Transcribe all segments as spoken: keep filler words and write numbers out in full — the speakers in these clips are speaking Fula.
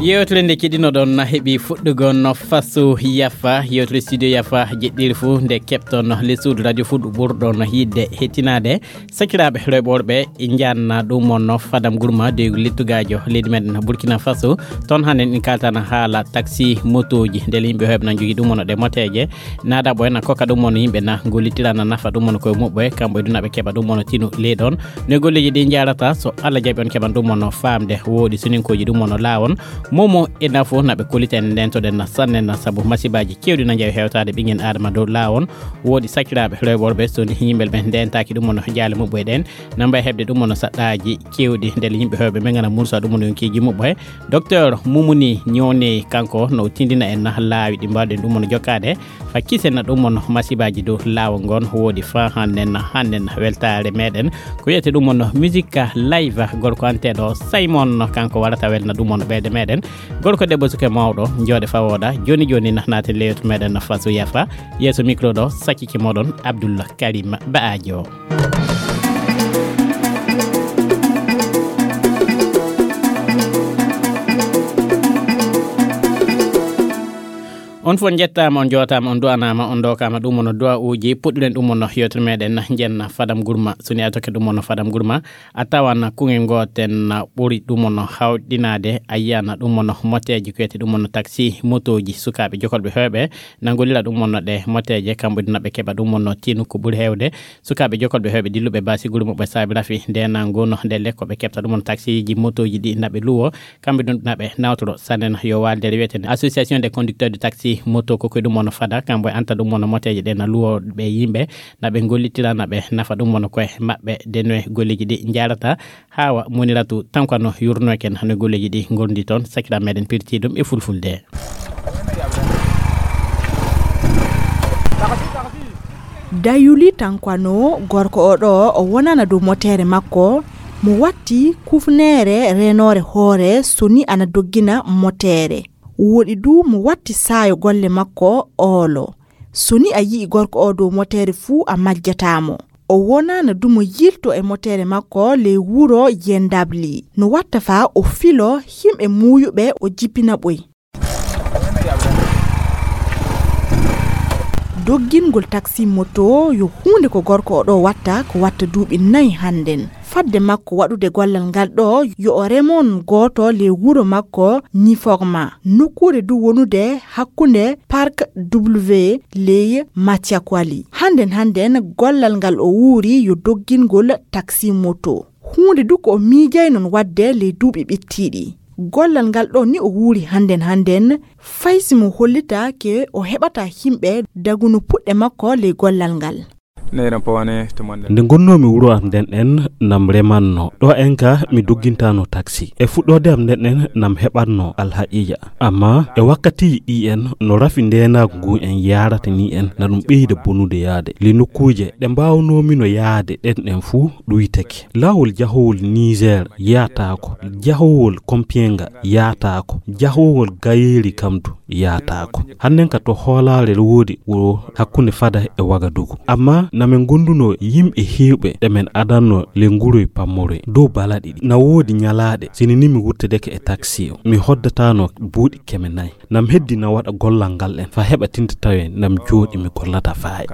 Yewtere nde keɗinoɗon heɓi fuɗɗugol no Faso Yafa, yewtere studio Yafa jeɗɗiri fuu nde keɓton le suudu radio fuu ɗo ɓurɗon yiɗde hettinaade. Sakiraaɓe rewɓe worɓe, njanna ɗum on no Fadam Gurma de littugaajo leydi meɗen Burkina Faso. Toon hannde en kaltana haala taxi motooji, ndele yimɓe heewɓe na njogii ɗum on ɗe moteeje. Naada ɓoy na kokka ɗum on yimɓe na gollitirana nafa ɗum on koye muɓɓe, kamɓe du na ɓe keɓa ɗum on tinu ley ɗon. No golleeji ɗi njaarata, so Allah jaɓi on keɓan ɗum on faamde, woodi soninkooji ɗum on laawon. Momo e nafo na ɓe kollita en ndentoɗen na sannen na sabu masibaaji keewɗi na njawi hewtaade ɓingen Aadama dow laawon. Woodi sakiraaɓe rewɓe worɓe so ni yimɓe ɓe ndentaaki ɗum on jaale muɓɓe ɗen. Na mbay heɓde ɗum on saɗɗaaji keewɗi ndele yimɓe heewɓe ɓe ngana mursa ɗum on yonkiiji muɓɓe. Docteur Mumuni Ñoone kanko no tindina en na laawi ɗi mbaawɗen ɗum on jokkaade. Fa kisen na ɗum on masibaaji dow laawol ngon woodi fa hannden, hannden weltaare meɗen. Ko wiyete ɗum on musique live gorko anteɗo Simon kanko warata welna ɗum on ɓeyde meɗen. Gorko debbo suke mawɗo jooɗe fa wooɗa. Jooni jooni na naaten le yewtere meɗen na Faso Yafa. Yeeso micro ɗo sakkike moɗon Abdul Karim Ba'ajo. On fof njettaama, on njootaama, on du'anaama, on ndookaama ɗum on du'a uuji. Puɗɗiren ɗum on yewtere meɗen njenna Fadam Gurma. So ni a tokke ɗum on Fadam Gurma, a tawan kuŋel gootel ɓuri ɗum on hawɗinaade, a yiyan ɗum on moteeji ko wiyete ɗum on taxi motooji. Sukaaɓe jokolɓe heewɓe na ngollira ɗum on ɗe moteeje, kamɓe du na ɓe keɓa ɗum on tinu ko ɓuri heewde. Sukaaɓe jokolɓe heewɓe dilluɓe baasi gure muɓɓe saabi rafi ndenango no ndelle ko ɓe keɓta ɗum on taxi ji motooji ɗi na ɓe luwo. Kamɓe ɗum na ɓe nawtoro sannen yo waalde wiyeten Association des conducteurs de taxi moto ko koye ɗum on fada, kamɓe anta ɗum on moteeje ɗe na luwo ɓe yimɓe, na ɓe gollitira, na ɓe nafa ɗum on koye maɓɓe, de noye golleeji ɗi njaarata. Hawa Moniratu Tankwa no yurno ken hano golleeji ɗi ngondi toon, sakira meɗen pirti ɗum e fulfulde. Dayuli Tankwano, gorko o ɗo, o wonana dow moteere makko, mo watti kufneere renoore hoore so ni ana doggina moteere. Woɗi du mo watti saayo golle makko oolo. So ni a yi'i gorko o dow moteere fuu, a majjataa mo. O wonana du mo yilto e moteere makko ley wuro Yendabli. No watta faa o filo himɓe muuyuɓe, o jippina ɓoy. Doggingol taxi moto yo huunde ko gorko o ɗo watta, ko watta duuɓi nayi hannden. Fadde makko waɗude gollal ngal ɗo, yo o remon gooto ley wuro makko Nifogma, nokkuure du wonude hakkunde Parc W ley Matiakwali. Hannden hannden gollal ngal o wuuri yo doggingol taxi moto. Huunde du ko o miijaynon waɗde ley duuɓi ɓittiiɗi. Gollal ngal ɗo ni o wuuri hannden hannden, fay si mo hollitaake o heɓata himɓe daguno puɗɗe makko ley gollal ngal. Nde ngonnoomi wuro am nden en nam remanno. Ɗo en ka mi doggintano taxi. E fuɗɗoode am nden en nam heɓatno alhaqiija. Amma e wakkatiiji ɗi en no rafi ndeenaagu ngu en yaarata ni en na ɗum ɓeyda bonude yaade. Li nokkuuje ɗe mbaawnoomi no yaade ɗen ɗen fuu ɗuytake. Laawol jahowol Niger yaataako. Jahowol Kompienga yaataako. Jahowol Gayeeri kam du yaataako. Hannen ka to hoolaare woodi wuro hakkunde fada e Wagadugu. Amma na men gonduno yimɓe heewɓe ɗe men adanno le nguroy pammoroy dow balaɗi ɗi. Na woodi ñalaaɗe, sini ni mi wurtedeke e taxi o, mi hoddatano buuɗi keme nayi. Nam heddi na waɗa gollal ngal en, fa heɓa tinta tawe nam jooɗi mi gollata faay.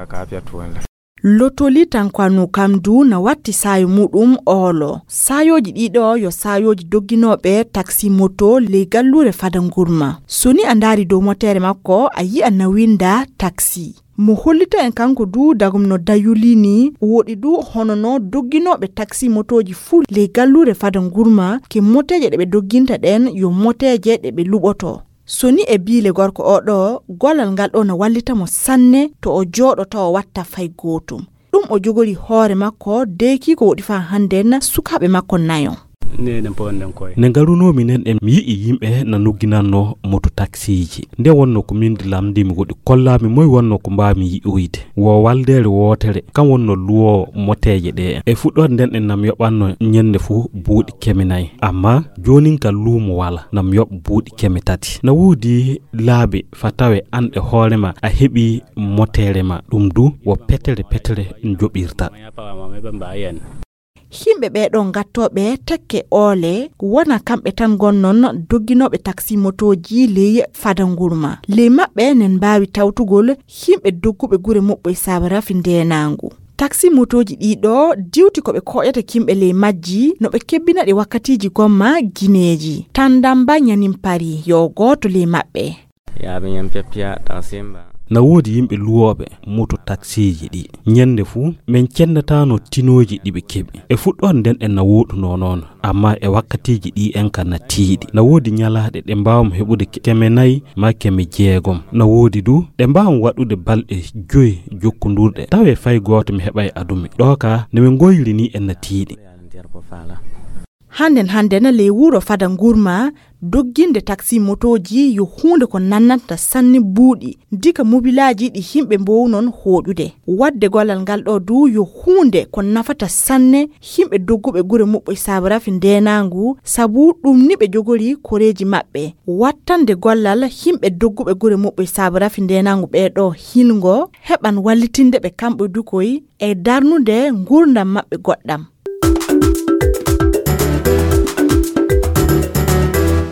Lotoli Tankwano kam du na watti saayo muɗum oolo. Saayooji ɗiɗo yo saayooji dogginooɓe taxi moto ley galluure fada ngurma. So ni a ndaari dow moteere makko, a yi'a na winda taxi. Mo hollita en kanko du dagum no dayuli ni, woɗi du hono no dogginooɓe taxi motooji fuu ley galluure fada ngurma, ke moteeje ɗe ɓe dogginta ɗen yo moteeje ɗe ɓe luɓoto. So ni e biile gorko o ɗo, gollal ngal ɗo na wallita mo sanne to o jooɗo tawa watta fay gootum. Ɗum o jogori hoore makko deeki ko woɗi faa hannden sukaaɓe makko nayo. Nde ngarunoomi nden, en mi yi'i yimɓe na nugginannoo moto taksiiji. Nde wonnoo ko min di lamndii mi woɗi, kollaami moy wonnoo ko mbaawmi yi'oyde. Wo waldeere wootere, kam wonnoo luwoowo moteeje ɗee. E fuɗɗoode nden en nam yoɓannoo ñannde fuu buuɗi keme nay. Ammaa joonin ka luumo walaa, nam yoɓ buuɗi keme tati. Na woodi laabi fa tawe an e hoore ma a heɓii moteere ma. Ɗum du wo petere petere njoɓirta. Himɓe ɓee ɗoo gattooɓe tekke oole, wona kamɓe tan ngonnon dogginooɓe taksi motooji ley fada ngurma. Ley maɓɓe nen mbaawi tawtugol himɓe dogguɓe gure muɓɓoy sabu rafi ndeenaangu. Taksi motooji ɗii ɗoo diwti ko ɓe koƴata kimɓe ley majji, no ɓe kebbina ɗi wakkatiiji gomma gineeji. Tandamba ñanin pari yo gooto ley maɓɓe. Yaaɓe ñam peppiya tan simba. Na woodi yimɓe luwooɓe moto taksiiji ɗi. Ñannde fuu, men cennataano tinooji ɗi ɓe keɓi. E fuɗɗoode nden en na wooɗunoo noon, ammaa e wakkatiiji ɗi en ka na tiiɗi. Na woodi ñalaaɗe ɗe mbaawmi heɓude ke-, keme nay maa keme jeegom. Na woodi du ɗe mbaawmi waɗude balɗe joyi jokkondurɗe. Tawee fay gooto mi heɓay adumi. Ɗoo ka, nde min ngoyri ni en na tiiɗi. Hannden hannden ley wuro fada ngurma, dogginde taksi motooji yo huunde ko nannanta sanne buuɗi, dika mobilaaji ɗi himɓe mboownon hooƴude. Waɗde gollal ngal ɗoo du yo huunde ko nafata sanne himɓe dogguɓe gure muɓɓoy sabu rafi ndeenaangu, sabu ɗum ni ɓe jogori koreeji maɓɓe. Wattande gollal himɓe dogguɓe gure muɓɓoy sabu rafi ndeenaangu ɓee ɗoo hilngo, heɓan wallitinde ɓe kamɓe du koy e darnude nguurndam maɓɓe goɗɗam.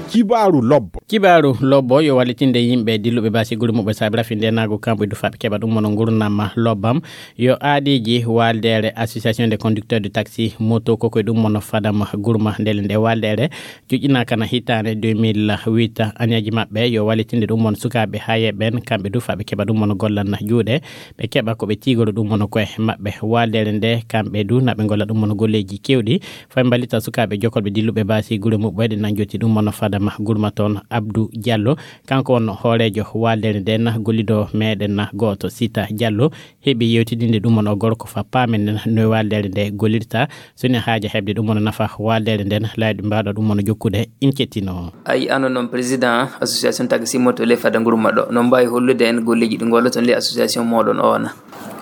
Kibaaru lobbo. Kibaaru lobbo yo wallitinde yimɓe dilluɓe baasi gure muɓɓe saabi rafi ndeenaagu kamɓe du faɓe keɓa ɗum mono ngurnam lobbam. Yo aadiiji waaldeere Association des conducteurs de taxi moto ko koye ɗum mono fadam gurma ndele nde waaldeere joƴƴinaaka na hitaande deux mille huit. Añaaji maɓɓe yo wallitinde ɗum mono sukaaɓe hayeeɓe ɓen kamɓe du faɓe keɓa ɗum mono gollan juuɗe. Ɓe keɓa ko ɓe tiigoro ɗum mono koye maɓɓe. Waaldeere nde, kamɓe du, na ɓe ngolla ɗum mono golleeji keewɗi. Fay mballita sukaaɓe jokolɓe dilluɓe baasi gure muɓɓoyɗe nan jotti ɗum mono fadama gurma toon. Abdou Diallo, kanko wonno hooreejo waaldeere nden, gollido meɗen na gooto Sita Diallo, heɓi yewtidinde ɗum mono gorko fa paamen nden no waaldeere nde gollirta. So ni haaja heɓde ɗum wona nafa waaldeere nden, laawɗi mbaɗo ɗum wona jokkude, in kettino. A yi'ano noon président association taxi moto le fada ngurma ɗo. Noon mbaawi hollude en golleeji ɗi ngolloton le association moɗon o wona?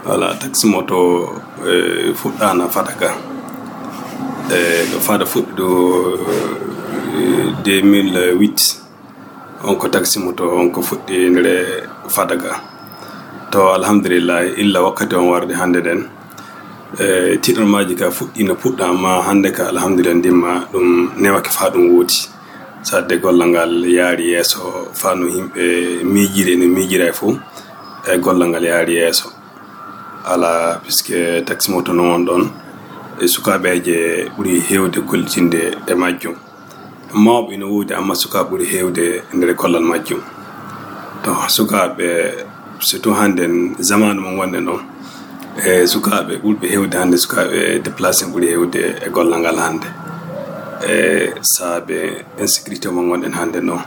Voilà, taxi moto, eh, fuɗɗaana fada ga. Eh, ɗo fada fuɗɗi ɗo, eh, deux mille huit. On ko taxi moto, on ko fuɗɗi ndere fada ga. To, alhamdulillah, illa wakkati on warde hannde nden. E, tiɗormaaji ka fuɗɗiino puɗɗa, amma hannde ka, alhamdulillah, ndimma ɗum newake faa ɗum woodi. Sadde gollal ngal yaari yeeso, faa no yimɓe miijiri e no miijira e fof, e gollal ngal yaari yeeso. Alaa, puisque taxi moto no won ɗon, e sukaaɓeeje ɓuri heewde gollitinde e majjum. Mawɓe ina woodi, amma sukaaɓe ɓuri heewde e nder gollal majjum. To sukaaɓe, surtout hannde, zamaanu mo ngonɗen ɗon, e sukaaɓe ɓurɓe heewde hannde, sukaaɓe déplacé ɓuri heewde e gollal ngal hannde. E saabe insécurité mo ngonɗen hannde ɗon.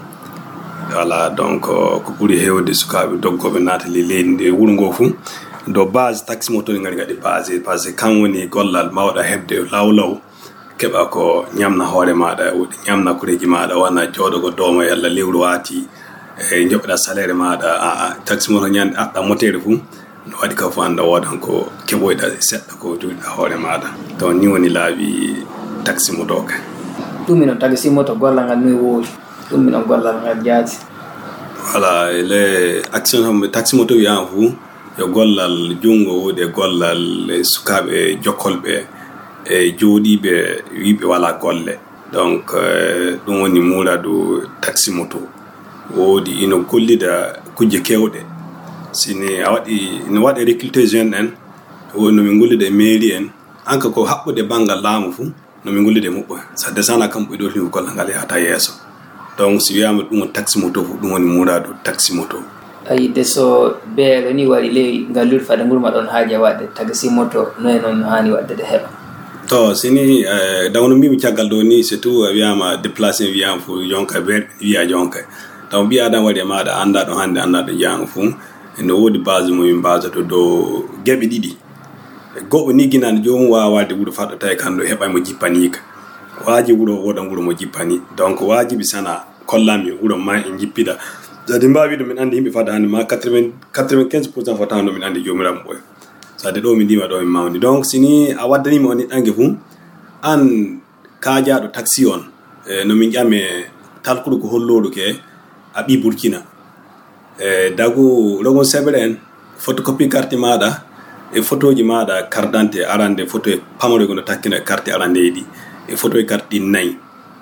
Voilà, donc, ko ɓuri heewde sukaaɓe doggooɓe naata le-, leydi ndi, wuro ngo fuu. Do base taxi moto ɗi ngari ngaɗi base, parce que kan woni gollal mawɗa heɓde law law. Keɓa ko ñamna hoore maaɗa, woodi ñamna koreeji maaɗa, wona jooɗo ko dooma yalla lewru waati, e njoɓɗa salaire maaɗa, a, a, taxi moto ñande aɗɗa moteere fuu, no waɗi ka fuu annda woodan ko keɓoyɗa seɗɗa ko jogiɗa hoore maaɗa. Donc, ni woni laabi taxi moto ka. Ɗum mi noon taxi moto gollal ngal no woodi. Ɗum mi noon gollal ngal jaati. Voilà, le action taxi moto wiyama fuu, yo gollal junngo woodi e gollal sukaaɓe jokkolɓe e jooɗiiɓe wiiɓe walaa golle. Donc, eh, ɗum woni muuraadu taxi moto. Woodi ino gollida kujje keewɗe. Si ni a waɗi, ino waɗa recruter jeune en, woodi no min gollida e mairie en. Anka ko haɓɓude banngal laamu fuu, no min gollida e muɓɓo. So a desaana kam ɓe ɗo, gollal ngal yahata yeeso. Donc, si wiyaama ɗum woni taxi moto fof, ɗum woni muraadu taxi moto. Ayi, de so beelo ni wari ley ngalluɗi fada ngurma ɗon haaja waɗde taxi moto, noye noon no haani waɗde de heɓa? To, si ni, eh, dawno mbimi caggal ɗo ni, c'est tout, a wiyaama déplacé, wiyaama fof jonka, beer wiya jonka. Taw ɓi adam wari e maaɗa, annda ɗo hannde, annda ɗo jaango fof. Ene woodi base mo min mbasoto dow geɓe ɗiɗi. Goɗɗo ni ginande joomum waawa waɗde wuro faɗɗo tawi kanko heɓay mo jippaniika. Waaji wuro wooda wuro mo jippani. Donc, waajibi sana kollami wuro ma en jippida. Jadi mbaawi ɗum min anndi yimɓe fada hannde ma quatre-vingts, quatre-vingt-quinze pour cent fota no min anndi joomiraaɓe ɓoy. Sade ɗo min ndima ɗo min mawni. Donc, si ni a waddani mi on niɗɗange fu, an kaajaaɗo taxi on, e, no min ƴame talkuɗo ko hollooɗo ke, a ɓii Burkina. E, dagu rogon seɓere en, photocopie carte maaɗa, e photoji maaɗa, carte d'identité arande, photo e pamaro gono takkina carte arande ɗi, e photo e carte ɗi nayi.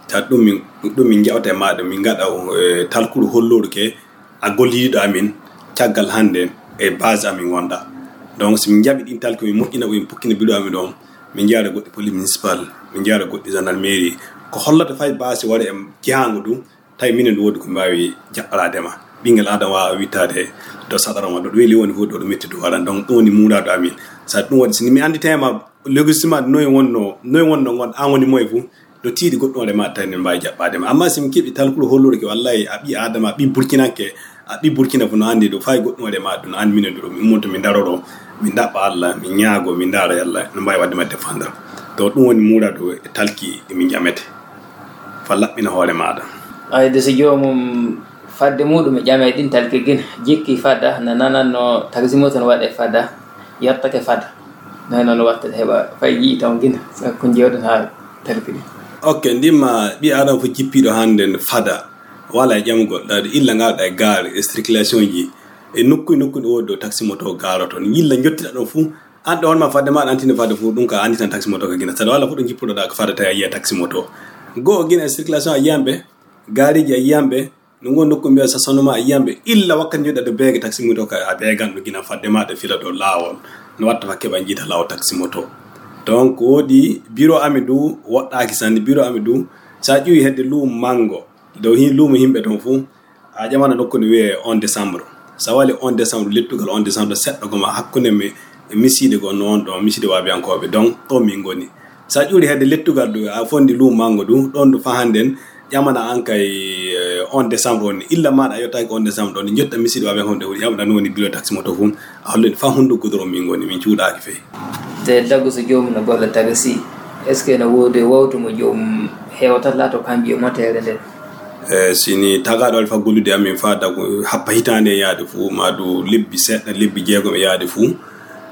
Ta ɗum min, ɗum min jawta e maaɗa, min ngaɗa, e, talkuɗo hollooɗo ke, a gollidiɗo amin, caggal hannde e base amin wonɗa. Donc, so min njaɓi ɗin talki, min moƴƴina ɗum, min pukkina bureau amin ɗon, min njaara goɗɗi police municipal, min njaara goɗɗi gendarmerie. Ko hollata fay base wara e jahango ɗum, tawi minen ɗum woodi ko mbaawi jaɓɓaraade ma. Ɓinngel Aadama waawa wittaade to saɗaro ma, ɗo ɗum weli woni fof, ɗo ɗum metti ɗum waran. Donc, ɗum woni muuraado amin. Sa ɗum waɗi, so mi annditema logistique ma, noy wonno, noy wonno ngon, an woni moye fof, ɗo tiiɗi goɗɗum waɗe ma, tawi ne mbaawi jaɓɓaade ma. Amma si mi keɓi talkuɗo hollude ke, wallahi, a ɓii Aadama, a ɓii Burkinanke, a ɓii Burkina fof no anndi ɗum, fay goɗɗum waɗe ma ɗum, no anndi minen ɗum, min ummoto, min daroro, min ɗaɓɓa Allah, min ñaago, min ndaara Allah, no mbaawi waɗde ma défendre. To ɗum woni muuraado e talki ɗi min ƴamete. Fa laɓɓina hoore maaɗa. Ayde so joomum fadde muɗum e ƴame ɗin talki gina, jikki fada, na nananno taxi moto no waɗe fada, yettake fada. Noy noon wattata heɓa fay yii taw gina, sakko jeewɗen haa talki ɗin. Ok, ndimma ɓii Aadama fof jippiiɗo hannde no fada, wala e ƴamugol, ɗaade illa ngal ɗa e gaare, e circulation ji, e nokku e nokku ɗo woodi ɗo taxi moto gaaroto. Yilla njottita ɗon fof, an ɗo honma fadde ma, ɗan tini fadde fof, ɗum ka anndi tan taxi moto ka gina. Saɗa walla fof ɗo jippuɗo ɗa ko fada tawi a yiya taxi moto. Goo gina e circulation a yiyan ɓe, gaareeji a yiyan ɓe, no ngon nokku mbiya sa sonoma a yiyan ɓe, illa wakkati njoɗɗa ɗo beege taxi moto ka a beegan ɗo gina fadde ma ɗo fila ɗo laawol. No watta fa keɓa jiita laawol taxi moto. Donc woodi bureau amin du woɗɗaaki sanne, bureau amin du sa ƴuwi hedde luumo mango, dow hin luumo yimɓe ton fof, a ƴamana nokku nde wiyee on décembre. So a wali on décembre, lettugal on décembre, seɗɗa goma hakkunde mi, e misiide goo noon ɗon, misiide waabiyankooɓe, donc ɗon min ngoni. So a ƴuuri hedde lettugal ɗo, a fondi luumo mango ɗum, ɗon ɗo fa hannden, ƴamana an kay, eh, on décembre on, illa maaɗa a yottaaki on décembre ɗon, njotta misiide waabiyankooɓe ɗo, ƴamɗa no woni bureau taxi moto fof, a hollen fa hunndu goudron min ngoni, min cuuɗaaki fey. Te dagu so joomum no golla taxi, est-ce que no woodi wawtu mo joomum hewtata laato kambiyo moteere nden? E, sini tagaɗo alfa gollude amin fa dago happa hitaande e yaade fuu, ma du lebbi seɗɗa, lebbi jeegom e yaade fuu.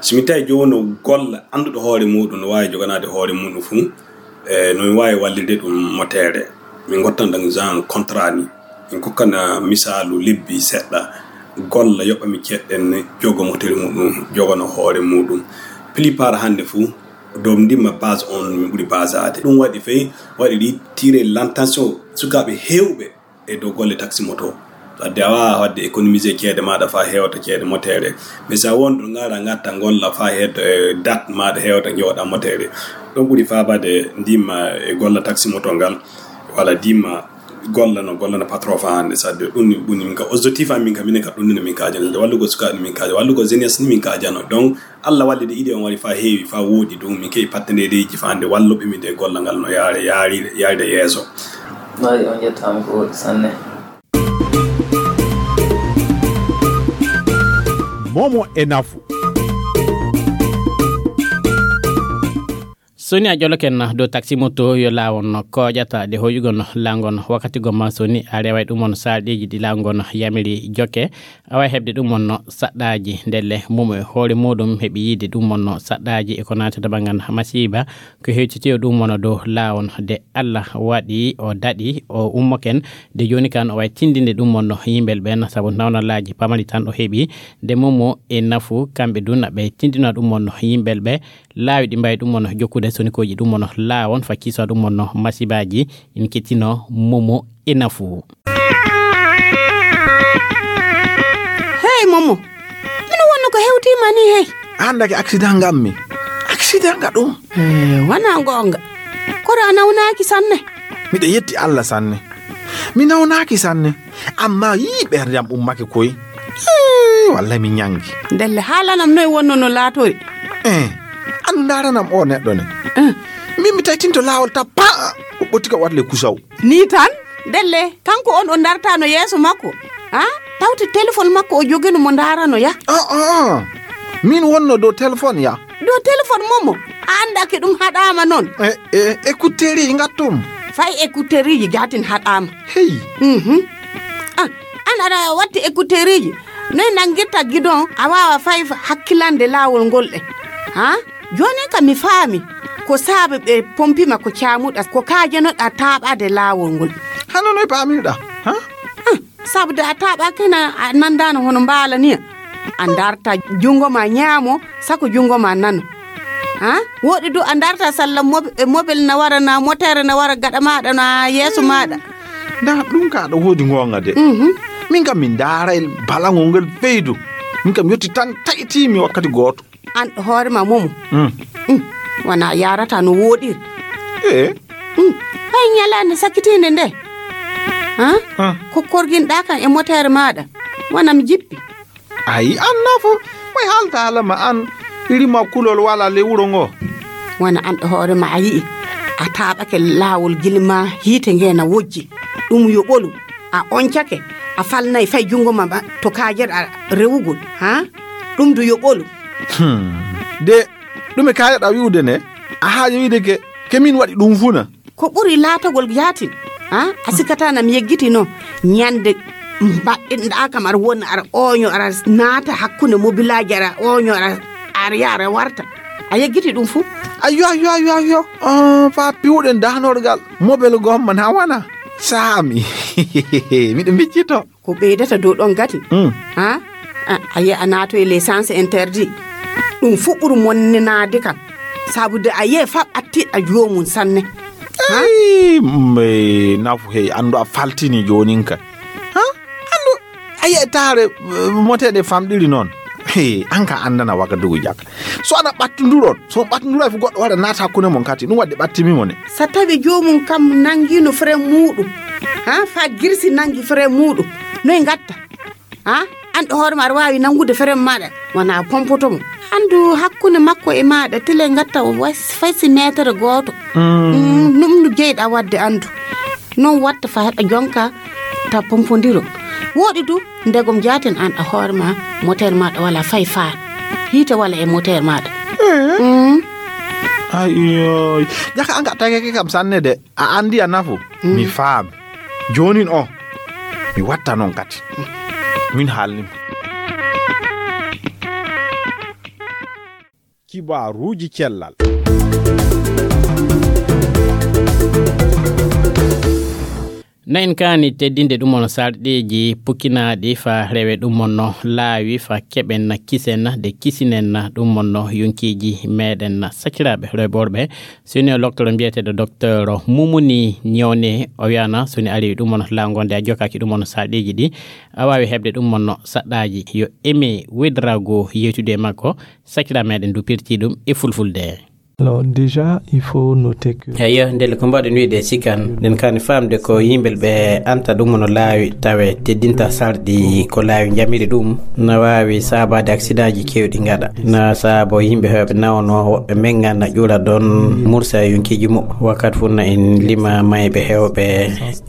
Si mi tawi jooni no golla annduɗo hoore muɗum, no waawi joganaade hoore muɗum fuu, e, no mi waawi wallirde ɗum moteere. Min ngottan ɗan genre contrat ni. Min kokkana misaalu lebbi seɗɗa, golla yoɓa mi ceɗɗen jogo moteere muɗum, jogano hoore muɗum. Plupart hannde fuu, dow ndimma base on min ɓuri basaade. Ɗum waɗi fey, waɗi ɗi tirer l'attention sukaaɓe heewɓe e dow golle taxi moto. Wadde a waawaa waɗde économiser ceede maaɗa faa heewta ceede moteere. Mais so a won ɗo ngaara ngatta golla faa heewta, e date maaɗa heewta jooɗa moteere. Ɗum ɓuri faabaade ndimma e golla taxi moto ngal, walla ndimma golla no, golla no patron faa hannde. Sadde ɗum ni, ɗum ni min ka objectif am min ka, minen ka ɗum ni min kaajano. Sadde wallugo sukaaɓe min kaajano, wallugo jeunesse ni min kaajano. Donc, Allah walli de idée on wari fa heewi, fa woodi ɗum. Min keɓi partenaire ji fa hannde walluɓe min de golla ngal no yaare, yaari, yaaride yeeso. Mari on yettaama ko woodi sanne. Momo e nafu. So ni a ƴoloken dow taxi moto yo laawon kooƴata de hoyugol laangon wakkati gomma, so ni a reway ɗum on sarɗiiji ɗi laangon yamiri jokke, a wawi heɓde ɗum on saɗɗaaji ndelle mum e hoore muɗum heɓi yiide ɗum on saɗɗaaji e ko naati to banngal masiiba ko hewtiti o ɗum on dow laawon de Allah waɗi o daɗi o ummoken de jooni kan o wawi tindinde ɗum on yimɓel ɓen sabu nawnalaaji pamari tan o heɓi de momo e nafu kamɓe dun ɓe tindina ɗum on yimɓel ɓe laawi ɗi mbawi ɗum on jokkude sonikooji ɗum on laawon fa kiisa ɗum on masibaaji. In kettino momo e nafu. Hey momo, mino wonno ko hewtima ni hey? Andake accident ngammi. Accident nga ɗum? Eh, wana gonga. Kono a nawnaaki sanne? Miɗo yetti Allah sanne. Mi nawnaaki sanne. Amma yii ɓernde am ummake koy. Ii, wallay mi ñanngi. Ndelle haalanam noy wonno no laatori? Eh, andu ndaranam o neɗɗo ne. Eh. Min mi taytinto laawol tappa. O ɓotti ka watle kusaw. Ni tan? Ndelle kanko on o dartano yeeso makko. Ha? Tawti téléphone makko o jogino mo ndarano ya. Ah, ah, ah. Min wonno dow téléphone ya. Dow téléphone momo. A annda ke ɗum haɗaama noon? E, e, écouteuriji ngattum. Fay écouteuriji jatin haɗaama. Hey. Mhm. Ah, an aɗa watti écouteuriji. Noy nanngirta gidon a waawa fay hakkilande laawol ngol ɗe? Ha? Jooni kam mi faami. Ko saabe ɓe pompima ko caamuɗa, ko kaajanoɗa taaɓaade laawol ngol. Hano noy paamirɗa? Ha? Ah, sabu de a taaɓaaki na a nanndaano hono mbaala ni. A ndarta junngo ma ñaamo, sako junngo ma nano. Ha? Woɗi du a ndarta salla mob-, e mobel na wara, na motere na wara gaɗa maaɗa, na yeeso maaɗa. Nda ɗum ka ɗo woodi ngoonga de. Mhm. Min kam min ndaaray balangol ngel feydu. Min kam yotti tan tayti mi wakkati gooto. An hoore ma momo. Mm. Mm. Wana yarata no woɗiri. Eh. Mm. Hay ñalaande sakkitiinde nde. Ha? Ah. Ko korginɗa kan e motere maaɗa. Wana mi jippi. Ayi, an nafo. Moy haalta haala ma an rima kulol wala le wuro ngo. Wana an ɗo hoore ma a yi'i. A taaɓake laawol gilma hiite nge na wojji. Ɗum yo ɓolu. A oncake. A falnay fay junngo ma ma to kaajeɗa rewugol. Ha? Ɗum du yo ɓolu. Hmm. De, ɗume kaajeɗa wi'ude ne? A haaja wi'ude ke, ke min waɗi ɗum funa. Ko ɓuri laatagol yaatin, ha? A sikkata na mi yeggiti noon. Ñande mbaɗɗinɗa kam aɗa wona, aɗa ooño, aɗa naata hakkunde mobilaaji, aɗa ooño, aɗa, aɗa yaha, aɗa warta. A yeggiti ɗum fuu? Ayyo, ayyo, ayyo, ayyo. Ah, fa piwɗen dahnorgal. Mobel gomma na wana. Saami. Miɗo miccito. Ko ɓeydata dow ɗon gati. Mm. Ha? A, a yi'a a naato e les sens interdit. Ɗum fuu ɓuri monninaade kam. Sabu de a yi'e fa ɓattiɗa joomum sanne. Ha? Ey, mbe nafu hey, anndu a faltini joonin ka. Ha? Anndu, a yi'e taare, eh, moteɗe famɗiri noon. Hey, an ka anndana waga dugu jaka. So ana ɓattunduron, so on ɓattunduray fu goɗɗo wara naata hakkunde mon kati. Ɗum waɗde ɓattimi mo ne. So tawi joomum kam nanngino frem muuɗum. Ha? Fa girsi nanngi frem muuɗum. Noy ngatta? Ha? An ɗo hoore ma aɗa waawi nanngude frem maaɗa. Wona pompoto mo. Anndu hakkunde makko e maaɗa, tile ngatta o was-, fay si meetere gooto. Mm. Mm, ɗum no jeyɗa waɗde anndu. Noon watta fa heɓa jonka ta pompondiro. Woɗi du, ndegom jaaten an a hoore ma, moteur maaɗa wala fay faar. Hiite wala e moteur maaɗa. Eh. Mm. Ayoy. Jaka an ka tagake kam sanne de. A andi a nafu. Mm. Mi faam. Joonin o. Mi watta noon kadi. Min haalnima. Kibaaruuji cellal. Na en kaani teddinde ɗum on sarɗiiji pukkinaaɗi fa rewe ɗum on no laawi fa keɓen na kisen na de kisinen na ɗum on no yonkiiji meɗen na sakiraaɓe rewɓe worɓe. So ni o loktoro mbiyeteeɗo docteur Mumuni Ñewne o wiyana so ni ari ɗum on laawol nde a jokkaaki ɗum on sarɗiiji ɗi a waawi heɓde ɗum on no saɗɗaaji yo emi wedrago yewtude e makko. Sakira meɗen du pirti ɗum e fulfulde. Alors déjà, il faut noter que Eyo, ndelle ko mbaɗen wiide sikan, nden kani faamde ko yimɓe ɓe anta ɗum no laawi, tawe teddinta sarɗi ko laawi njamiri ɗum, na waawi saabaade aksidaaji keewɗi ngaɗa. Na saabo yimɓe heewɓe nawno, woɓɓe menga na ƴura ɗon mursa e yonkiiji muɓɓe. Wakkati fof na en lima mayɓe heewɓe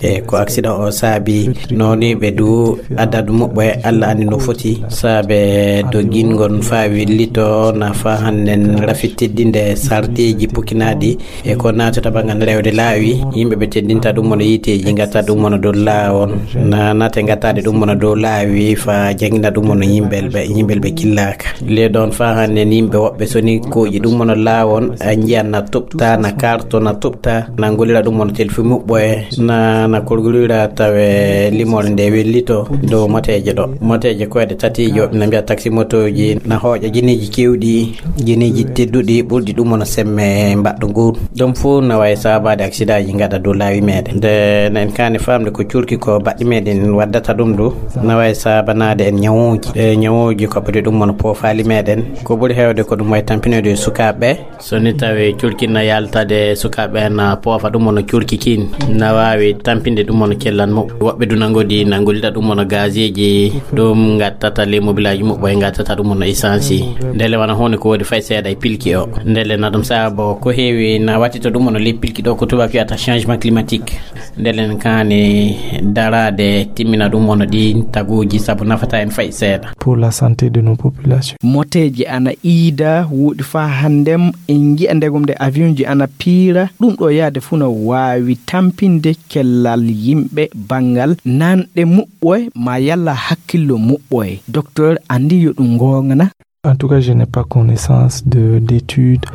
e ko accident o saabi. Nooni ɓe du adadu muɓɓe Allah andi no foti. Saabe dogingol faa willito na faa hannden rafi teddinde sarɗiiji pukkinaaɗi e ko naatata banngal rewde laawi. Yimɓe ɓe teddinta ɗum mono yiiteeji, ngatta ɗum mono dow laawol. Na naate ngattaade ɗum mono dow laawi faa janngina ɗum mono yimɓe ɓe, yimɓe ɓe killaaka. Le ɗon faa hannden yimɓe woɓɓe soni kooƴi ɗum mono laawol, a njiyan na tuɓta, na karto na tuɓta, na ngolira ɗum mono telfi muɓɓoye, na, na kolgolira tawe limore nde wellito dow moteeje ɗo. Moteeje koyɗe tati joɗɗi na mbiya taxi motooji, na hooƴa jiniiji keewɗi, jiniiji tedduɗi ɓurɗi ɗum mono semme mbaɗɗo ngu. Ɗum fof na wayi saabaade aksidaaji ngaɗa dow laawi meɗen. Nde na en kaani faamde ko cuurki ko baɗɗi meɗen waddata ɗum ɗo, na wayi saabanaade en ñawooji. E ñawooji ko ɓuri ɗum mono poofaali meɗen. Ko ɓuri heewde ko ɗum wayi tampinoyde e sukaaɓe ɓe. So ni tawi cuurki na yaltade sukaaɓe ɓe na poofa ɗum mono cuurki kin. Na waawi tampinde ɗum mono cellan mo. Woɓɓe du na ngodi na ngolida ɗum mono gazeeji. Ɗum ngattata le mobilaaji muɓɓoye ngattata ɗum mono essence. Ndele wana huunde ko woodi fay seeɗa e pilki o. Ndele na Sabu ko heewi na watti to ɗum ono leppilki ɗo ko tubaak wiyata changement climatique. Ndelen kaani daraade timmina ɗum ono ɗi taguuji sabu nafata en fay seeɗa. Pour la santé de nos populations. Moteeji ana iida, woɗi faa hanndem en njiya ndegom nde avion ji ana piira. Ɗum ɗo yaade fuu no waawi tampinde cellal yimɓe banngal nanɗe muɓɓoye ma yalla hakkillo muɓɓoye. Docteur anndi yo ɗum ngoongana. En tout cas, je n'ai pas connaissance de d'études.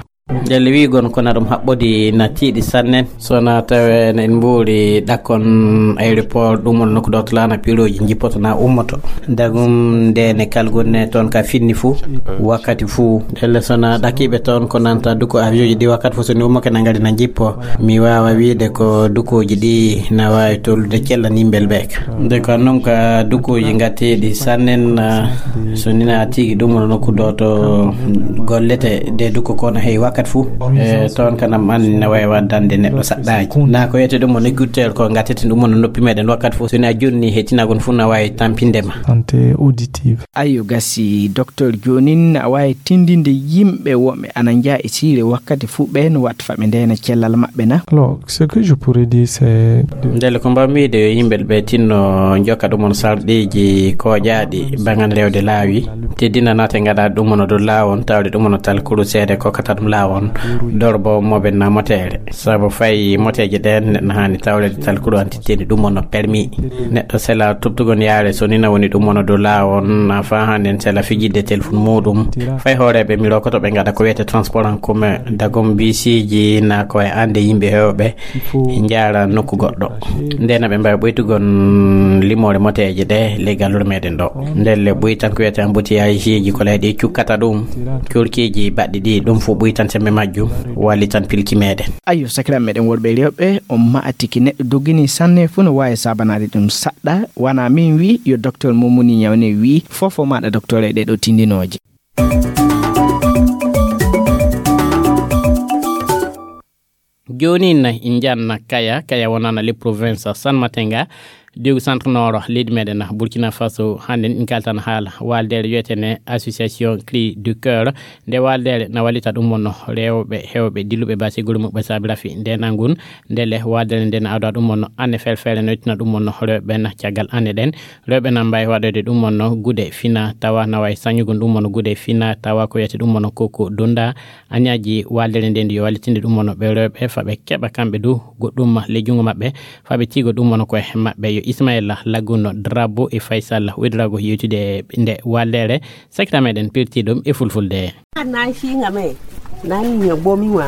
Ndelle wiigon kona ɗum haɓɓodi na tiiɗi sannen. Sona tawe na en mbuuri ɗakkon aéroport ɗum woni nokku ɗo to laana piroji jippoto na ummoto. Dagum nde ne kalgonne toon ka finni fuu, wakkati fuu. Ndelle sona ɗakiɓe toon ko nanta duko avion ji ɗi wakkati fuu, so ni ummoke na ngari na jippo. Mi waawa wiide ko dukoji ɗi na waawi tollude cella nimbel ɓe ka. Nde ko noon ka dukoji ngatteɗi sannen, ah, so ni na tigi ɗum woni nokku ɗo to gollete de duko kono hey wakkati fuu. E toon kanam an na waawi waddande neɗɗo saɗɗaaji. Na ko wiyete ɗum woni écouteur ko ngatteten ɗum woni noppi meɗen wakkati fuu. So ni a jonni he tinagon fuu na waawi tampinde ma. Santé auditive. Ayo gasi, docteur, joonin a waawi tindinde yimɓe wonɓe ana njaha e siire wakkati fuu ɓe no watta fa ɓe ndeena cellal maɓɓe na? Alors, ce que je pourrais dire, c'est de Ndelle ko mbawmi wiide yo yimɓe ɓe tinno jokka ɗum on sarɗiiji kooƴaaɗi bangan rewde laawi, teddina naate ngaɗa ɗum on dow laawon, tawde ɗum on talkuru seede kokkata ɗum laawon, dorbo moɓe na moteere. Sabu fay moteeje ɗeen neɗɗo haani tawleede talkuru an titteni ɗum on permis. Neɗɗo sela tubtugol yaare so ni na woni ɗum on dow laawon, na faa hannde en sela fijidde telefon muuɗum. Fay hooreeɓe mi rokoto ɓe ngaɗa ko wiyete transport en commun, dagom bisiiji na ko e annde yimɓe heewɓe njaara nokku goɗɗo. Nde na ɓe mbaawi ɓoytugol limoore moteeje ɗe ley gallure meɗen ɗo. Ndelle ɓoy tan ko wiyete embouteillage ji ko leyɗe cukkata ɗum, curkiiji baɗɗi ɗi, ɗum fof ɓoy tan sembe majjum, walli tan pilki meɗen. Ayo, sakiraaɓe meɗen worɓe e rewɓe, on ma'a tigi neɗɗo doggini sanne fuu no waawi saabanaade ɗum saɗɗa. Wana min wi, yo docteur Momuni Ñawne wi, fofo maɗa docteur e ɗeɗo tindinooje. Jooni na en njanna Kaya, Kaya wonana le province San Matenga, diw centre nord leydi meɗen Burkina Faso. Hannde en kaltan haala waldere wiyetene Association Cri du Cœur. Nde waldere na wallita ɗum wonno rewɓe hewɓe dilluɓe basi gure muɓɓe saabi rafi nde nangun. Ndele waldere nde na awda ɗum wonno anne felfere no ittina ɗum wonno rewɓe na caggal anne ɗen. Rewɓe na mbawi waɗoyde ɗum wonno gude fina tawa na wawi sañugol ɗum wonno gude fina tawa ko wiyete ɗum wonno koko donda. Añaji waldere nde ndi yo wallitinde ɗum wonno ɓe rewɓe fa ɓe keɓa kamɓe du goɗɗum le jungo maɓɓe fa ɓe tigo ɗum wonno koye maɓɓe. Yo Ismaila Laguno Drabo e Faisal Wedrago yewtude nde waldere. Sakita meɗen pirti ɗum e fulfulde. Nan singa me, nan ñoɓɓomi wa.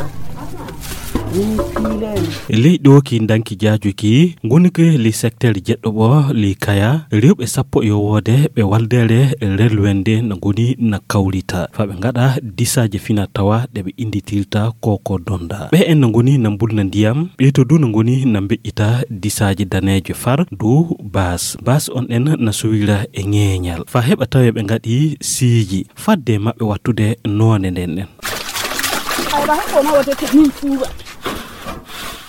Min pilen. E ley ɗo ki danki jaajuki ngoni ko li secteur jeɗɗo ɓo li Kaya, rewɓe sappo e woode ɓe waldere relwende na ngoni na kawrita fa ɓe ngaɗa disaaje fina tawa ɗe ɓe inditirta koko donda. Ɓe en na ngoni na mbulna ndiyam, ɓe to du na ngoni na mbeƴƴita disaaje daneeje far du bas. Bas on en na suwira e ŋeeñal fa heɓa tawe ɓe ngaɗi siiji fadde maɓɓe wattude noone nden ɗen.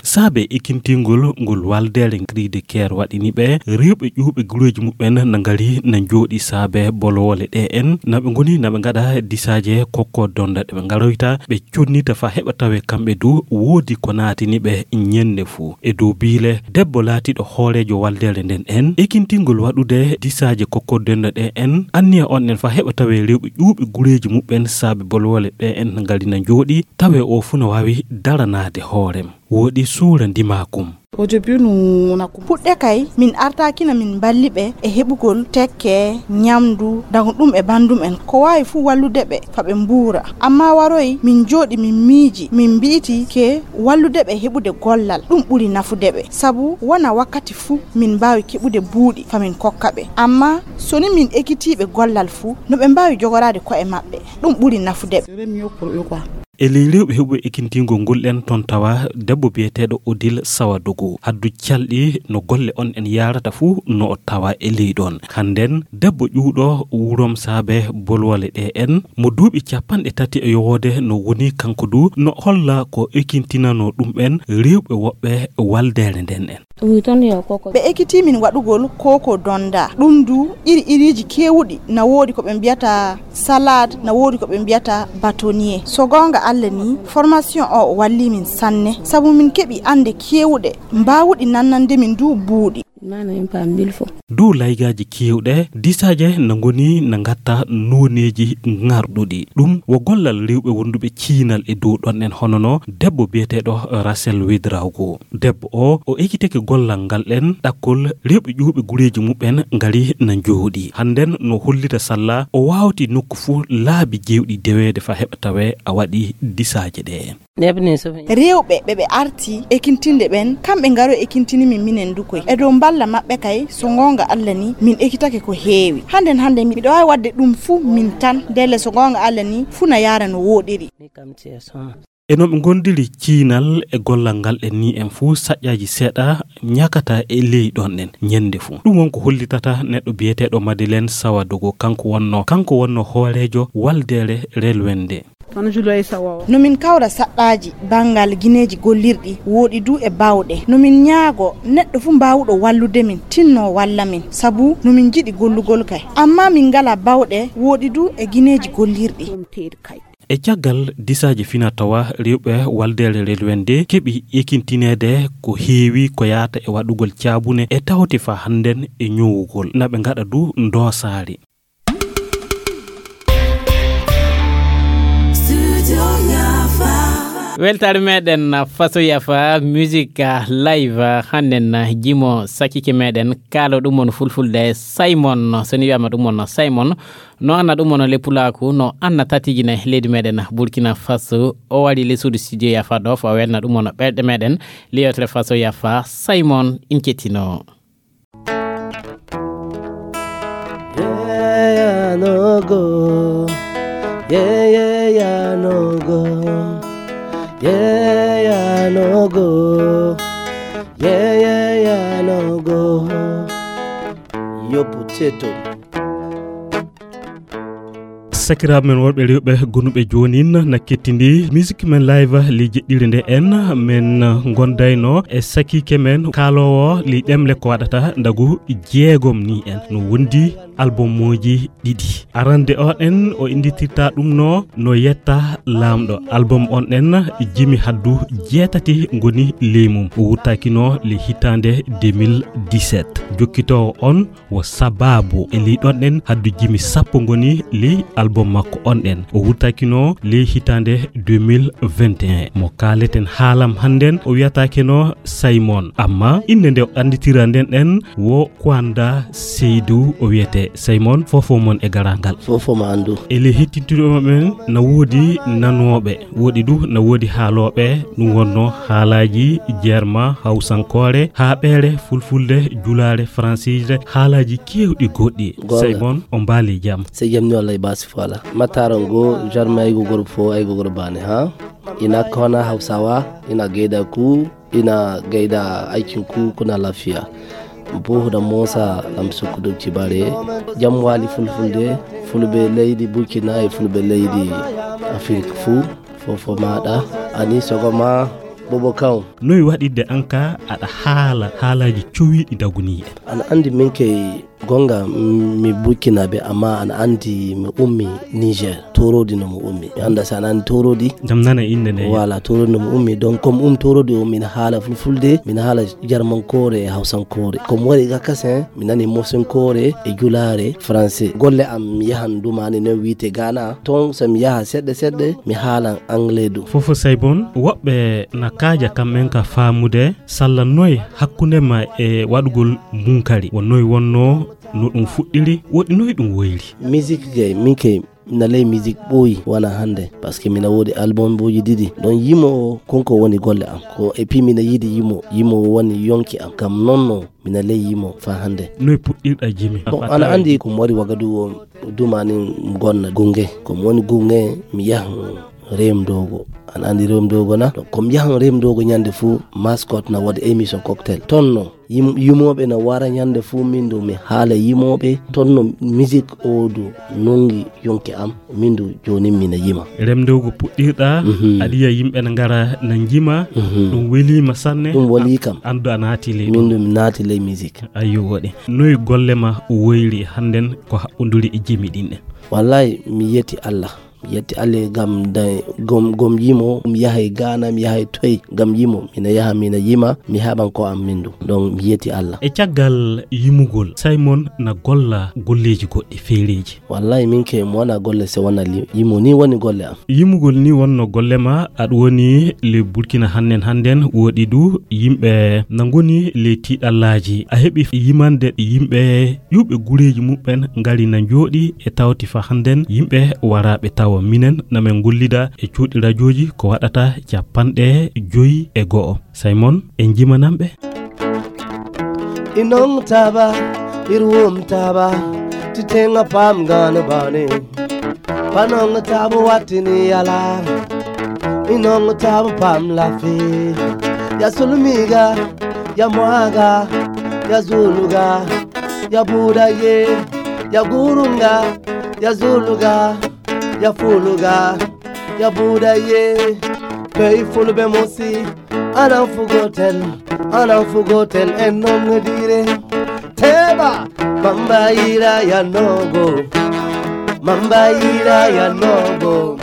Saabe e kintingol ngol waldere Cri de Cœur waɗini ɓe rewɓe ƴuuɓe gureeji muɓɓen na ngari na njooɗi saabe bolowole ɗe en na ɓe ngoni na ɓe ngaɗa disaaje kokko donda ɗe ɓe ngaroyta ɓe connita fa heɓa tawe kamɓe du woodi ko naatini ɓe ñande fuu. E dow biile debbo laatiɗo hooreejo waldere nden en ekintingol waɗude disaaje kokko donda ɗe en anniya on en fa heɓa tawe rewɓe ƴuuɓe gureeji muɓɓen saabe bolowole ɗe en ngari na njooɗi tawe o fuu no waawi daranaade hoorem. Woɗi suura ndimakum. Au début, nous, on a compris. Puɗɗe kay, min artakina min mballi ɓe e heɓugol tekke, ñamdu, dago ɗum e bandum en. Ko waawi fuu wallude ɓe fa ɓe mbuura. Amma waroy, min jooɗi, min miiji, min mbi'iti ke wallude ɓe heɓude gollal. Ɗum ɓuri nafude ɓe. Sabu wona wakkati fuu min mbaawi keɓude buuɗi fa min kokka ɓe. Amma so ni min ekitiiɓe gollal fuu, no ɓe mbaawi jogoraade ko'e maɓɓe. Ɗum ɓuri nafude ɓe. E ley rewɓe heɓuɓe ekintingol ngol en ton tawa debbo biyeteeɗo Odile Sawadogo. Haddu calɗi no golle on en yaarata fuu no o tawa e ley ɗon. Hannden debbo ƴuuɗo wurom saabe bolwole ɗe en mo duuɓi capanɗe tati e yowoode no woni kanko du no holla ko ekintinano ɗum en rewɓe woɓɓe waldere nden en. Ɓe ekiti min waɗugol koko donda. Ɗum du iri iriji kewuɗi na woodi ko ɓe mbiyata salade, na woodi ko ɓe mbiyata batonier. So goonga Allah ni, formation o walli min sanne, sabu min keɓi annde keewuɗe, mbaawuɗi nannande min du buuɗi. Mana en paam mille fois. Dow laygaaji keewɗe, disaaje na ngoni na ngatta nooneeji ŋarɗuɗi. Ɗum wo gollal rewɓe wonduɓe ciinal e dow ɗon en, hono no debbo biyeteeɗo Rachel Ouédraogo. Debbo o, o ekitake gollal ngal ɗen ɗakkol rewɓe ƴuwɓe gureeji muɓɓen ngari na njooɗi. Hannden no hollita salla o waawti nokku fuu laabi jeewɗi deweede fa heɓa tawee a waɗi disaaje ɗe. Rewɓe ɓe ɓe arti ekintinde ɓen, kamɓe ngaro ekintini min minen du koy. E dow mballa maɓɓe kay, so goonga Allah ni, min ekitake ko heewi. Hannden, hannden miɗo waawi waɗde ɗum fuu min tan. Ndelle so goonga Allah ni, fuu na yaara no wooɗiri. E no ɓe ngondiri ciinal e gollal ngal en ni en fuu saƴƴaaji seeɗa ñakata e ley ɗon en ñande fuu. Ɗum won ko hollitata neɗɗo biyeteeɗo Madeleine Sawadogo, kanko wonno, kanko wonno hooreejo waldeere Relwende. No min kawra saɗɗaaji banngal gineeji gollirɗi, wooɗi du e baawɗe. No min ñaago neɗɗo fuu mbaawuɗo wallude min, tinno walla min, sabu no min njiɗi gollugol kay. Amma min ngala baawɗe, wooɗi du e gineeji gollirɗi. E caggal disaaji fina tawa rewɓe waldeere Relwende keɓi ekintineede ko heewi ko yaata e waɗugol caabune e tawte fa hannden e ñowugol. Na ɓe ngaɗa du ndoosaari. Weltaare meɗen Faso Yafa musique live hannden jimo sakike meɗen kaalo ɗum on fulfulde Simon, so ni wiyama ɗum on Simon, no anna ɗum on le pulaaku, no anna tatijine leydi meɗen Burkina Faso, o wari le suudu studio Yafa ɗo fo welna ɗum on ɓerɗe meɗen le yewtere Faso Yafa Simon in kettino. Yeah, yeah, no go. Yeah, yeah, yeah, no go. Yeah, yeah, no go. Yeah, yeah, yeah, no go. Yo potato. Sakiraaɓe men worɓe rewɓe gonuɓe joonin na kettindi musique men live ley jeɗɗire nde en men gondayno e sakiike men kaaloowo ley ɗemle ko waɗata ndagu jeegom ni en no wondi albumuuji ɗiɗi. Arande o ɗen o innditirta ɗum no, no yetta laamɗo. Album on ɗen jimi haddu jeetati ngoni ley mum. O wurtakino ley hitaande deux mille dix-sept. Jokkitoowo on wo Sababu. E ley ɗon ɗen haddu jimi sappo ngoni ley album makko on ɗen. O wurtakino ley hitaande deux mille vingt et un. Mo kaaleten haalam hannden o wiyataake no Simon. Amma innde nde o annditira nden ɗen wo Kwanda Seydou o wiyete Simon, fofo mon e garangal. Fofo ma anndu. E ley hettintuɗo men na woodi nanooɓe, woodi du na woodi haalooɓe, ɗum wonno haalaaji jerma, hawsankoore, haaɓeere, fulfulde, julaare, fransiije, haalaaji keewɗi goɗɗi. Goonga. Simon, o mbaali jam. Sey jam ni wallay baasi fo alaa. Mattaaro ngo, jarma aygo goro fo, aygo goro baane, ha? Ina kona Hausawa, ina gaida ku, ina gaida aikin ku, kuna lafiya. Buhu da Musa Lamsuku Dukci Bare, Jamwali Fulfulde, Fulbe Lady Burkina e Fulbe Lady Afirka fu, fofo maɗa, ani sogoma bobo kan. Noy waɗirde an ka aɗa haala haalaaji cowiiɗi daguniiɗi? Ana anndi min kay gonga, mm, mi Burkinaabe, amma ana anndi mi ummi Niger. Torodi no mi ummi. Mi annda si ana anndi Torodi. Jam nana innde nde. Voilà, Torodi no mi ummi. Donc, comme um Torodi o, mina haala fulfulde, mina haala jarmankoore e hawsankoore. Ko mi waɗi ga kasen, mi nani mosenkoore e julaare français. Golle am mi yahan dumani no wiite Ghana. Ton so mi yaha seɗɗe seɗɗe, mi haalan anglais du. Fofo Saybon, woɓɓe na kaaja kamɓen ka faamude salla noy hakkunde ma e waɗugol munkari. Wo noy wonno no ɗum fuɗɗiri, woɗi noy ɗum woyri. Musique gay, min kay, mina ley musique ɓooyi wana hannde, parce que mina woodi album ɓooji ɗiɗi. Ɗon yimo o, konko woni golle am. Ko, et puis mina yiɗi yimo, yimo o woni yonki am. Kam non no, mina ley yimo fa hannde. Noy puɗɗirɗa jimi? Bon, ana anndi ko mi wari Wagadu o, dumani mi gonna Gunge. Ko mi woni Gunge, mi yahan Rem Dogo. Ana anndi Rem Dogo na? Donc, ko mi yahan Rem Dogo ñande fuu, mascotte na waɗi émission cocktail. Ton no, Yim-, yimooɓe na wara ñande fuu min du mi haala yimooɓe. Ton no musique o du nongi yonki am, min du jooni mina yima. Remde ko puɗɗirɗa, mhm, aɗa yiya yimɓe na ngara na njima, mhm, ɗum weliima sanne. Ɗum weli kam. An du a naati ley ɗum. Min du mi naati ley musique. Ayyo, woɗi. Noy golle ma woyri hannden ko haɓɓonduri e jimi ɗin ɗen? Wallahi, mi yeti Allah. Yetti Allah ngam da-, gom, gom yimo, mi yahay Ghana, mi yahay toy ngam yimo. Mina yaha, mina yima, mi haɓan ko am mindu. Donc, mi yetti Allah. E caggal yimugol, Simon na golla golleeji goɗɗi feereeji. Wallahi, min ke mo wona golle se wona li-, yimo ni woni golle am. Yimugol ni wonno golle ma, aɗa woni le Burkina hannden hannden, woɗi du yimɓe na ngoni le tiiɗallaaji. A heɓi yimande yimɓe ƴuuɓe gureeji muɓɓen ngari na njooɗi e tawti fa hannden yimɓe waraaɓe tawa. Minen na men ngollida e cuuɗi rajooji ko waɗata capanɗe joyi e go'o. Simon, en njimanan ɓe. Inong taba, irwum taba, titenga pam gana bani. Panong taba watini yala. Inong taba pam lafi. Ya sulumiga, ya mwaga, ya zuluga, ya buda ye, ya gurunga, ya zuluga, ya fuluga, ya buda ye. Pei fulbe mosi, anan fugotel, anan fugotel en nongodire. Teba, mamba ira ya nogo, mamba ira ya nogo.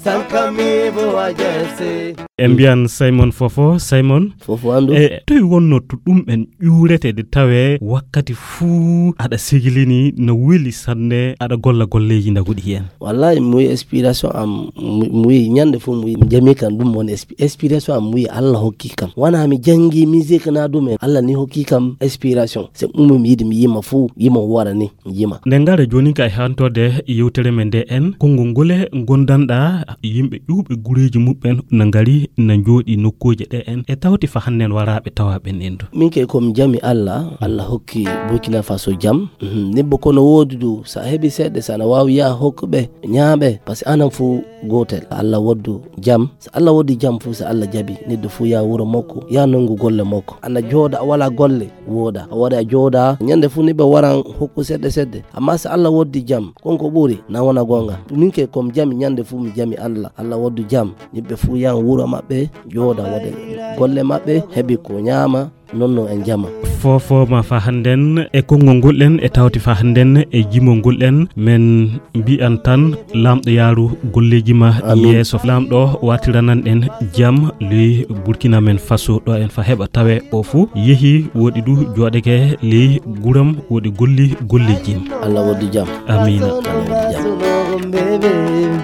Sankamibo ajese. En mbiyan Simon Fofo, Simon. Fofo andu. E toy wonno to ɗum en ƴuurete de tawe wakkati fuu aɗa sigilini no weli sanne aɗa golla golleeji ndaguɗi heen. Wallahi, mi wiyi inspiration am, mi, mi wiyi ñande fof mi wiyi mi jami kan ɗum woni inspi-, inspiration am, mi wiyi Allah hokki kam. Wona mi janngi musique na ɗum en, Allah ni hokki kam inspiration. C'est ɗum mi yiɗi mi yima fof, yima wara ni, mi yima. Nde ngara jooni ka e hantorde yewtere men nde en, konngol ngole ngondanɗa yimɓe ƴuuɓe gureeji muɓɓen na ngari na njooɗi nokkuuje ɗe en e tawti fa hannden waraaɓe tawa ɓen en du. Min ke ko mi jami Allah, Allah hokki Burkina Faso jam. Mhm. Nibbo kono woodi du, sa heɓi seɗɗe, sa na waawi yaha hokku ɓe, ñaaɓe, parce que anan fof gootel. Allah waddu jam. So Allah waddi jam fof, so Allah jaɓi, neɗɗo fof yaha wuro makko, yaha nanngu golle makko. Ana jooɗa, a wala golle, wooɗa. A waɗa a jooɗa, ñande fof ni ɓe waran hokku seɗɗe seɗɗe. Amma so Allah waddi jam, kon ko ɓuri, na wona goonga. Min ke ko mi jami ñande fof, mi jami Allah. Allah waddu jam, yimɓe fof yaha wuro maɓɓe, jooɗa waɗa golle maɓɓe, heɓi ko ñaama, non no en jama. Fofo ma fa hannden e konngol ngol en e tawti fa hannden e jimol ngol en, men mbiyan tan Laamɗo yaaru golleeji ma Amin. Yeeso. Laamɗo watiranan en jam ley Burkina men Faso ɗo en fa heɓa tawe o fuu yehi woɗi du jooɗeke ley guram woɗi golli golleeji. Allah waddu jam. Amiina. Allah waddu jam.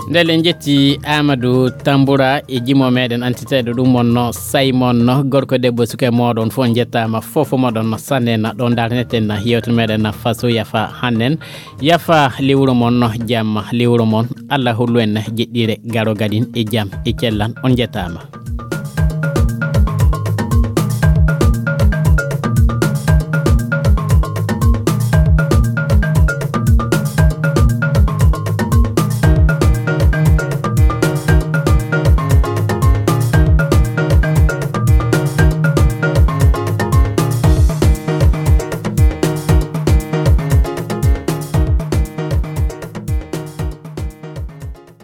Ndele njetti Amadou Tamboura e jimo meɗen antiteɗo ɗum wonno Simon, gorko debbo suka moɗon fof njettama fof moɗon sanne na ɗon darneten na yewtere meɗen na faso yafa hannen yafa lewru mon jam lewru mon Allah hollu en jeɗɗire garo gadin e jam e cellan on njettama.